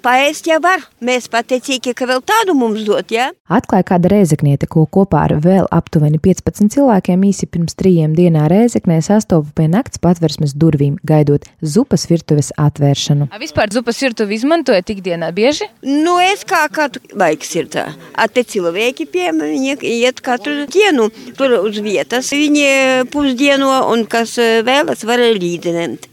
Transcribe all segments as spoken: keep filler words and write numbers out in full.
paēst jau var. Mēs pateicīgi, ka vēl tādu mums dot, jā? Atklāja kāda rēzekniete, ko kopā ar vēl aptuveni piecpadsmit cilvēkiem īsi pirms trījiem dienā Rēzeknē sastopa pie nakts patversmes durvīm, gaidot zupas virtuves atvēršanu. A vispār zupas virtuvi izmantojat ikdienā bieži? Nu, es kā katru laiks ir tā. A te cilvēki pie viņi iet katru dienu tur uz vietas. Viņi pusdienu un kas vēlas var līdzināt.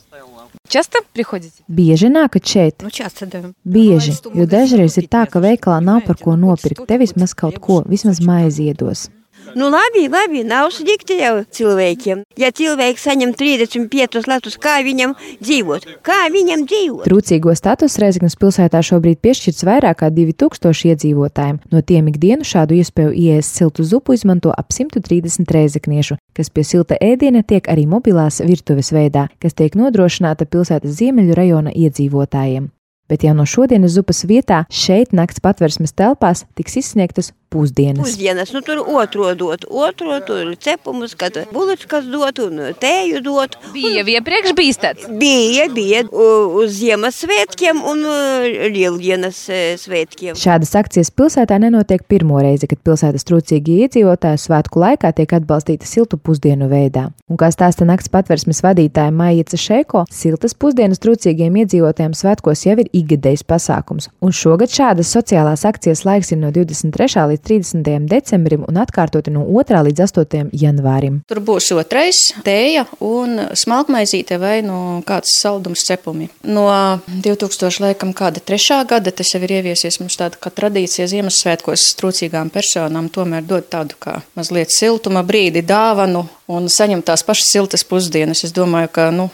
Часто приходите? Bieži nākat šeit? Nu, часто, да. Bieži, jo dažreiz ir tā, ka veikalā nav par ko nopirkt, te vismaz kaut ko, vismaz maizi iedos. Nu, labi, labi, nav slikti jau cilvēkiem. Ja cilvēks saņem trīsdesmit piecus latus, kā viņam dzīvot? Kā viņam dzīvot? Trūcīgo status Rēzeknes pilsētā šobrīd piešķirts vairāk kā divi tūkstoši iedzīvotājiem. No tiem ikdienu šādu iespēju ieēst siltu zupu izmanto ap simt trīsdesmit rēzekniešu, kas pie silta ēdiena tiek arī mobilās virtuves veidā, kas tiek nodrošināta pilsētas ziemeļu rajona iedzīvotājiem. Bet jau no šodienas zupas vietā šeit nakts patversmes telpās tiks izsniegtas pusdienas. Pusdienas, nu tur otro dot, otro tur cepumus, kad bulučkas dot un tēju dot. Bija jau iepriekš bijis tāds? Bija, bija uz Ziemassvētkiem un Lieldienas svētkiem. Šādas akcijas pilsētā nenotiek pirmo reizi, kad pilsētas trūcīgie iedzīvotāji svētku laikā tiek atbalstīti siltu pusdienu veidā. Un kā stāsta nakts patversmes vadītāja Maija Cešeko, siltas pusdienas trūcīgiem iedzīvotājiem svētkos jau ir ikgadējs pasākums. Un šogad šādas sociālās akcijas laiks ir no divdesmit trešā līdz trīsdesmitajam decembrim un atkārtoti no otrā līdz astotajam janvārim. Tur būs otrais tēja un smalkmaizīte vai no kāds saldums cepumi. No divi tūkstoši laikam kāda trešā gada tas jau ir ieviesies mums tāda kā tradīcija Ziemassvētkos trūcīgām personām tomēr dod tādu kā mazliet siltuma brīdi dāvanu un saņem tās pašas siltas pusdienas. Es domāju, ka, nu,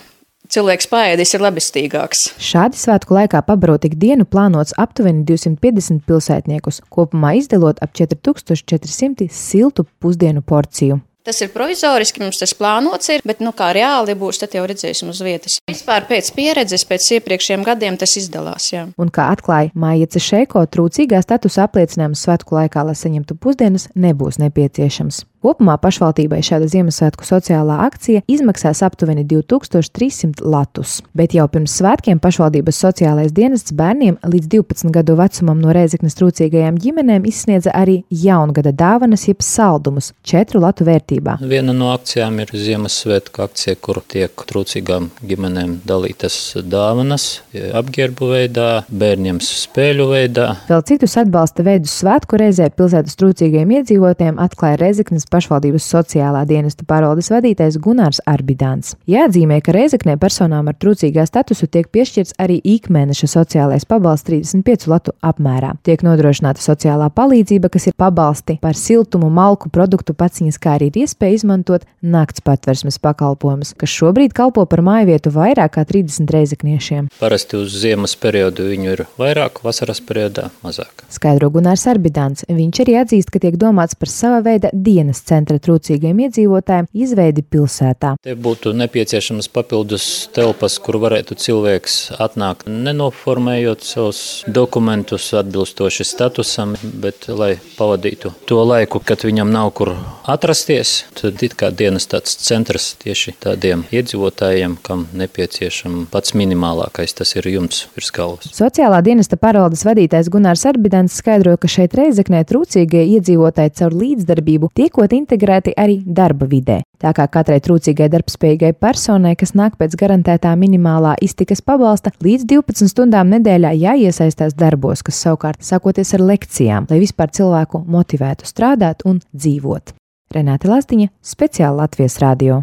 cilvēks paēdis ir labestīgāks. Šādi svētku laikā pabarot ikdienu plānots aptuveni divsimt piecdesmit pilsētniekus, kopumā izdalot ap četri tūkstoši četri simti siltu pusdienu porciju. Tas ir provizoriski, mums tas plānots ir, bet, nu, kā reāli būs, tad jau redzēsim uz vietas. Vispār pēc pieredzes, pēc iepriekšējiem gadiem tas izdalās, jā. Un kā atklāja Maija Cešeko, trūcīgā statusa apliecinājums svētku laikā, lai saņemtu pusdienas, nebūs nepieciešams. Kopumā pašvaldībai šāda Ziemassvētku sociālā akcija izmaksās aptuveni divi tūkstoši trīs simti latus, bet jau pirms svētkiem pašvaldības sociālais dienests bērniem līdz divpadsmit gadu vecumam no Rēzeknes trūcīgajām ģimenēm izsniedza arī jaungada dāvanas jeb saldumus četru latu vērtībā. Viena no akcijām ir Ziemassvētku akcija, kur tiek trūcīgām ģimenēm dalītas dāvanas apģērbu veidā, bērniem spēļu veidā. Vēl citus atbalsta veidus svētku reizē pilsētas trūcīgajiem iedzīvotājiem atklāja Rēzeknes pašvaldības sociālā dienesta pārvaldes vadītājs Gunārs Arbidāns. Jāatzīmē, ka Rēzeknē personām ar trūcīgā statusu tiek piešķirts arī ikmēneša sociālais pabalsts trīsdesmit piecu latu apmērā. Tiek nodrošināta sociālā palīdzība, kas ir pabalsti par siltumu, malku, produktu paciņas, kā arī ir iespēja izmantot nakts patversmes pakalpojumus, kas šobrīd kalpo par mājvietu vairāk kā trīsdesmit rēzekniešiem. Parasti uz ziemas periodu viņu ir vairāk, vasaras periodā mazāk. Skaidro Gunārs Arbidāns. Viņš arī atzīst, ka tiek domāts par sava veida dienas centra trūcīgiem iedzīvotājiem izveidi pilsētā. Te būtu nepieciešams papildus telpas, kur varētu cilvēks atnākt, nenoformējot savus dokumentus atbilstoši statusam, bet lai pavadītu to laiku, kad viņam nav kur atrasties, tad it kā dienas tāds centrs tieši tādiem iedzīvotājiem, kam nepieciešam pats minimālākais, tas ir jumts virs galvas. Sociālā dienesta pārvaldes vadītājs Gunārs Arbidāns skaidroja, ka šeit Rēzeknē trūcīgie iedzīvotāji caur līdzdarbību tiekot integrēti arī darba vidē. Tā kā katrai trūcīgai darbspējīgai personai, kas nāk pēc garantētā minimālā iztikas pabalsta, līdz divpadsmit stundām nedēļā jāiesaistās darbos, kas savukārt sakoties ar lekcijām, lai vispār cilvēku motivētu strādāt un dzīvot. Renāte Lazdiņa, speciāli Latvijas radio.